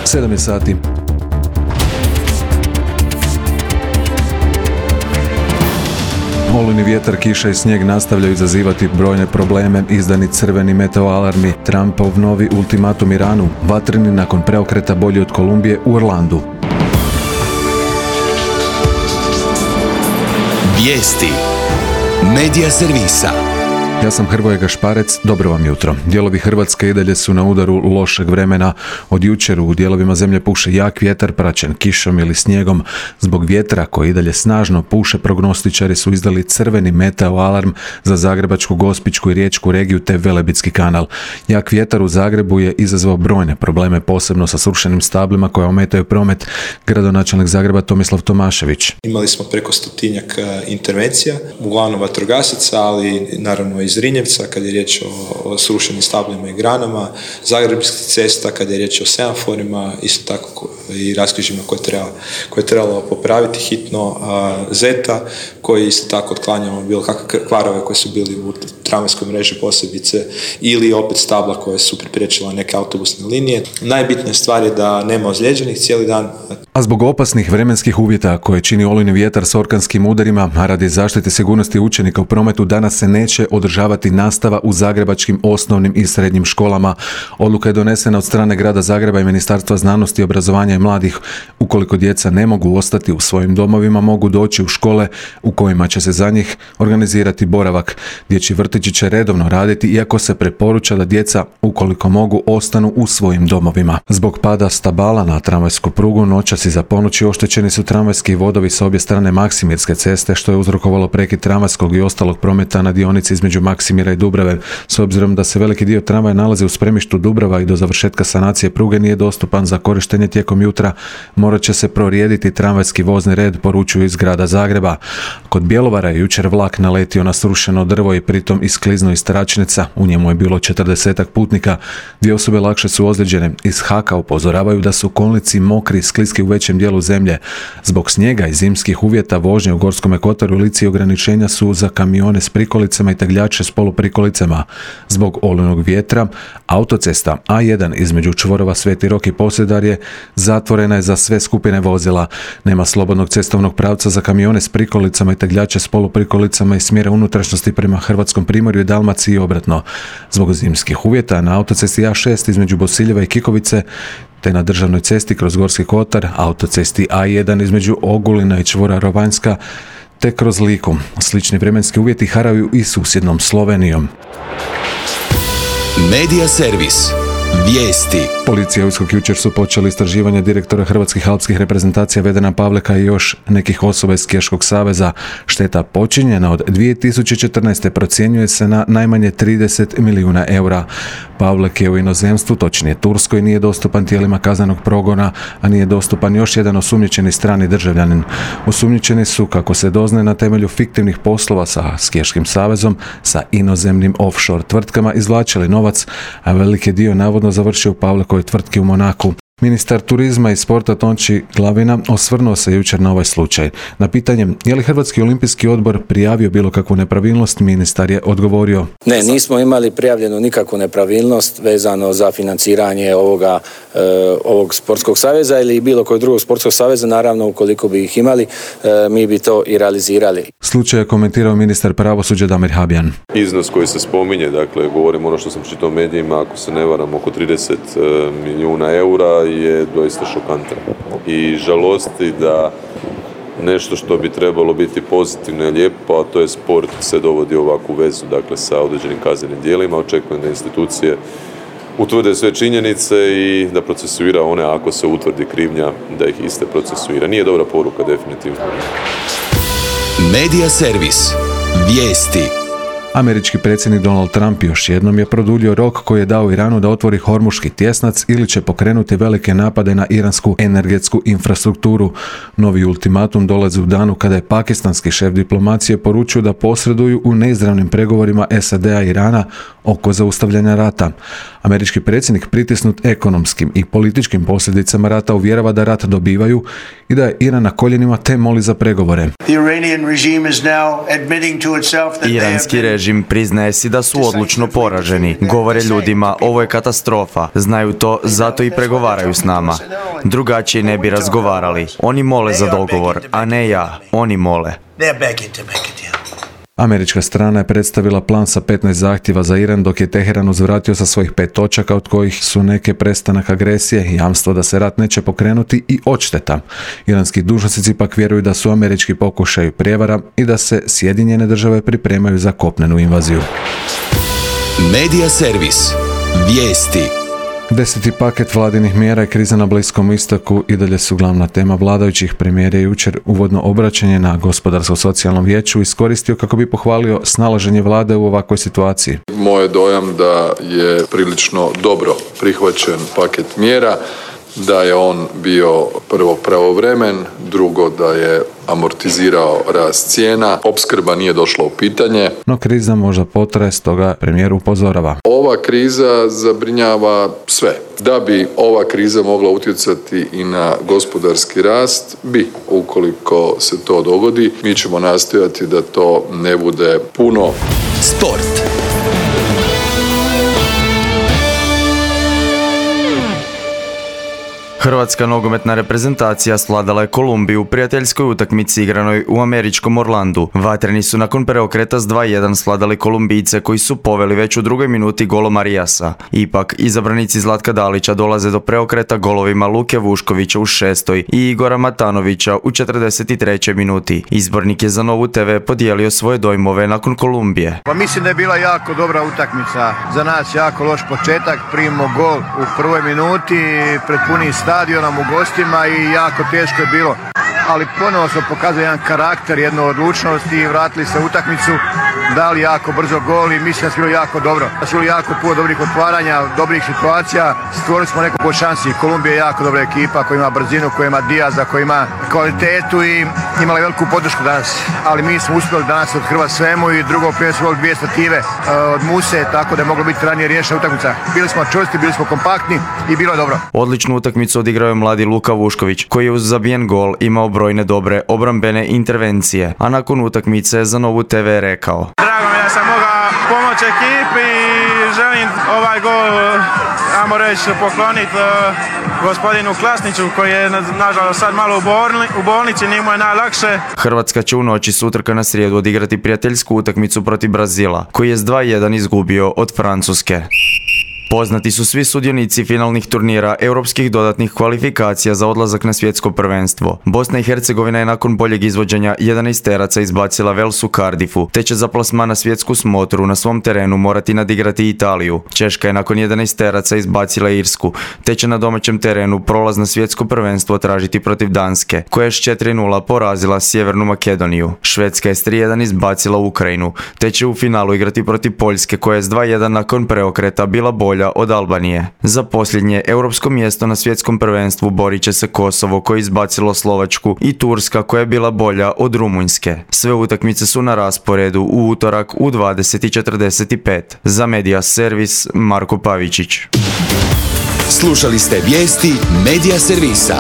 7 je sati. Olujni vjetar, kiša i snijeg nastavljaju izazivati brojne probleme. Izdani crveni meteoalarmi, Trumpov novi ultimatum Iranu, vatreni nakon preokreta bolji od Kolumbije u Orlandu. Vijesti Medija servisa. Ja sam Hrvoje Gašparec, dobro vam jutro. Dijelovi Hrvatske i dalje su na udaru lošeg vremena. Od jučer u dijelovima zemlje puše jak vjetar praćen kišom ili snijegom. Zbog vjetra koji i dalje snažno puše, prognostičari su izdali crveni meteoalarm za Zagrebačku, Gospićku i Riječku regiju te Velebitski kanal. Jak vjetar u Zagrebu je izazvao brojne probleme, posebno sa srušenim stablima koja ometaju promet. Gradonačelnik Zagreba Tomislav Tomašević. Imali smo preko 100 intervencija, uglavnom vatrogasaca, ali naravno iz Rinjevca kad je riječ o srušenim stablima i granama, Zagrebačkih cesta kad je riječ o semaforima, isto tako i raskrižjima koje je trebalo popraviti hitno, Zeta koji isto tako otklanjamo bilo kakve kvarove koje su bili u tramvajskoj mreži posebice ili opet stabla koje su pripriječila neke autobusne linije. Najbitnija stvar je da nema ozlijeđenih cijeli dan. A zbog opasnih vremenskih uvjeta koje čini olujni vjetar s orkanskim udarima, a radi zaštite sigurnosti učenika u prometu, danas se neće održavati nastava u zagrebačkim osnovnim i srednjim školama. Odluka je donesena od strane Grada Zagreba i Ministarstva znanosti, obrazovanja i mladih. Ukoliko djeca ne mogu ostati u svojim domovima, mogu doći u škole u kojima će se za njih organizirati boravak. Dječji vrtići će redovno raditi, iako se preporuča da djeca, ukoliko mogu, ostanu u svojim domovima. Zbog pada stabala na tramvajsku prugu noćas iza ponoći oštećeni su tramvajski vodovi s obje strane Maksimirske ceste, što je uzrokovalo prekid tramvajskog i ostalog prometa na dionici između Maksimira i Dubrave. S obzirom da se veliki dio tramvaja nalazi u spremištu Dubrava i do završetka sanacije pruge nije dostupan za korištenje tijekom jutra, morat će se prorijediti tramvajski vozni red, poručuju iz Grada Zagreba. Kod Bjelovara je jučer vlak naletio na srušeno drvo i pritom iskliznuo iz tračnica. U njemu je bilo 40 putnika. 2 osobe lakše su ozlijeđene. Iz HAK-a upozoravaju da su kolnici mokri i skliski u većem dijelu zemlje. Zbog snijega i zimskih uvjeta vožnje u Gorskom kotaru i Lici ograničenja su za kamione s prikolicama i tegljače s poluprikolicama. Zbog olujnog vjetra autocesta A1 između čvorova Sveti Rok i Posedarje zatvorena je za sve skupine vozila. Nema slobodnog cestovnog pravca za kamione s prikolicama i tegljače s poluprikolicama i smjera unutrašnjosti prema Hrvatskom primorju i Dalmaciji i obratno. Zbog zimskih uvjeta na autocesti A6 između Bosiljeva i Kikovice te na državnoj cesti kroz Gorski kotar, autocesti A1 između Ogulina i čvora Rovanjska te kroz Liku. Slični vremenski uvjeti haraju i susjednom Slovenijom. Medija servis. Vijesti. Policija i USKOK jučer su počeli istraživanje direktora hrvatskih alpskih reprezentacija Vedrana Pavleka i još nekih osoba iz Skijaškog saveza. Šteta počinjena od 2014. procjenjuje se na najmanje 30 milijuna eura. Pavlek je u inozemstvu, točnije Turskoj, nije dostupan tijelima kaznenog progona, a nije dostupan još jedan osumnjičeni strani državljanin. Osumnjičeni su, kako se doznaje, na temelju fiktivnih poslova sa Skijaškim savezom, sa inozemnim offshore tvrtkama izvlačili novac, a veliki dio navodno završio u Pavlekovoj tvrtki u Monaku. Ministar turizma i sporta Tonči Glavina osvrnuo se jučer na ovaj slučaj. Na pitanje je li Hrvatski olimpijski odbor prijavio bilo kakvu nepravilnost, ministar je odgovorio: Ne, nismo imali prijavljenu nikakvu nepravilnost vezano za financiranje ovog sportskog saveza ili bilo kojeg drugog sportskog saveza. Naravno, ukoliko bi ih imali, mi bi to i realizirali. Slučaj je komentirao ministar pravosuđa Damir Habjan. Iznos koji se spominje, dakle, govorim ono što sam čitao u medijima, ako se ne varam, oko 30 milijuna eura, je doista šokantan i žalosti da nešto što bi trebalo biti pozitivno i lijepo, a to je sport, se dovodi u ovakvu vezu, dakle, sa određenim kaznenim djelima. Očekujem da institucije utvrde sve činjenice i da procesuira one, ako se utvrdi krivnja, da ih iste procesuira. Nije dobra poruka, definitivno. Medija servis. Vijesti. Američki predsjednik Donald Trump još jednom je produljio rok koji je dao Iranu da otvori Hormuški tjesnac ili će pokrenuti velike napade na iransku energetsku infrastrukturu. Novi ultimatum dolazi u danu kada je pakistanski šef diplomacije poručio da posreduju u neizravnim pregovorima SAD-a i Irana oko zaustavljanja rata. Američki predsjednik, pritisnut ekonomskim i političkim posljedicama rata, uvjerava da rat dobivaju i da je Iran na koljenima te moli za pregovore. Iranski režim priznaje si da su odlučno poraženi. Govore ljudima, ovo je katastrofa. Znaju to, zato i pregovaraju s nama. Drugačije ne bi razgovarali. Oni mole za dogovor, a ne ja. Oni mole. Američka strana je predstavila plan sa 15 zahtjeva za Iran, dok je Teheran uzvratio sa svojih 5 točaka, od kojih su neke prestanak agresije, jamstvo da se rat neće pokrenuti i odšteta. Iranski dužnosnici pak vjeruju da su američki pokušaji prijevara i da se Sjedinjene države pripremaju za kopnenu invaziju. Medija servis. Vijesti. 10. paket vladinih mjera i kriza na Bliskom istoku i dalje su glavna tema vladajućih. Premijer je jučer uvodno obraćanje na Gospodarsko-socijalnom vijeću iskoristio kako bi pohvalio snalaženje vlade u ovakvoj situaciji. Moj je dojam da je prilično dobro prihvaćen paket mjera, da je on bio prvo pravovremen, drugo da je amortizirao rast cijena, opskrba nije došla u pitanje. No kriza možda potraje, stoga premijer upozorava. Ova kriza zabrinjava sve. Da bi ova kriza mogla utjecati i na gospodarski rast, ukoliko se to dogodi, mi ćemo nastojati da to ne bude puno. Sport. Hrvatska nogometna reprezentacija svladala je Kolumbiju u prijateljskoj utakmici igranoj u američkom Orlandu. Vatreni su nakon preokreta s 2:1 svladali Kolumbijce koji su poveli već u drugoj minuti golom Arijasa. Ipak, izabranici Zlatka Dalića dolaze do preokreta golovima Luke Vuškovića u 6. i Igora Matanovića u 43. minuti. Izbornik je za Novu TV podijelio svoje dojmove nakon Kolumbije. Pa mislim da je bila jako dobra utakmica. Za nas jako loš početak, primimo gol u prvoj minuti, pred punim stadionom u gostima i jako teško je bilo. Ali ponovo smo pokazali jedan karakter, jednu odlučnost i vratili se u utakmicu, dali jako brzo gol i mislim da smo bili jako dobro. Da smo bili jako puno dobrih otvaranja, dobrih situacija, stvorili smo nekoliko šansi. Kolumbija je jako dobra ekipa koja ima brzinu, koja ima Diaza, koja ima kvalitetu i imala veliku podršku danas. Ali mi smo uspjeli danas othrvati svemu i drugo prije smo imali 2 stative od Muse, tako da je moglo biti ranije riješena utakmica. Bili smo čvrsti, bili smo kompaktni i bilo je dobro. Odličnu utakmicu odigrao je mladi Luka Vušković, koji je uz zabijen gol imao brojne dobre obrambene intervencije, a nakon utakmice za Novu TV rekao: Drago mi je da sam mogao pomoći ekipi i želim ovaj gol, ajmo reći, pokloniti gospodinu Klasniću koji je nažalost sad malo u bolnici, nije mu je najlakše. Hrvatska će u noći s utorka na srijedu odigrati prijateljsku utakmicu protiv Brazila, koji je s 2:1 izgubio od Francuske. Poznati su svi sudionici finalnih turnira europskih dodatnih kvalifikacija za odlazak na svjetsko prvenstvo. Bosna i Hercegovina je nakon boljeg izvođenja 11-teraca izbacila Wales u Cardiffu, te će za plasman na svjetsku smotru na svom terenu morati nadigrati Italiju. Češka je nakon 11-teraca izbacila Irsku, te će na domaćem terenu prolaz na svjetsko prvenstvo tražiti protiv Danske, koja je s 4:0 porazila Sjevernu Makedoniju. Švedska je s 3:1 izbacila Ukrajinu, te će u finalu igrati protiv Poljske, koja je s 2:1 nakon preokreta bila bolja od Albanije. Za posljednje europsko mjesto na svjetskom prvenstvu borit će se Kosovo, koje je izbacilo Slovačku, i Turska, koja je bila bolja od Rumunjske. Sve utakmice su na rasporedu u utorak u 20:45. Za Medija servis Marko Pavičić. Slušali ste vijesti Medija servisa.